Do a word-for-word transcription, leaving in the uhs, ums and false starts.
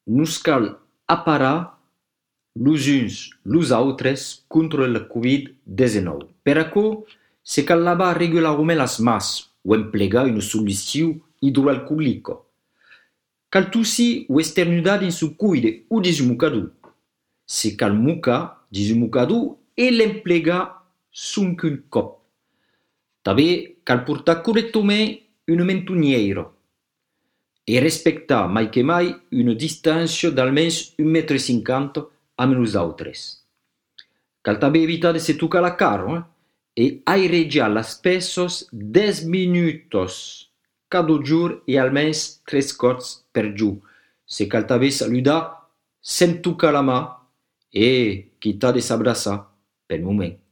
nos cal aparar los uns los autres contra el covid diecinueve. Per aquò, se cal lavar regularment las mans o emplegar una solució hidroalcoòlica. Cal tossir o esternudar dins su cuide o dins un mocador. Se cal mocar dins un mocador e l'emplegar sonque un cop. També cal portar correctament una mentonniera e respectar mai che mai una distància d'almens un metro e cinquanta amb nosaltres. Cal també evitar de se tocar la cara eh? e airejar las peces dez minutos cada giorno e almens tres cops per giorno. Se cal també saludar sem tocar la mà e quitar de s'abraçar per moment.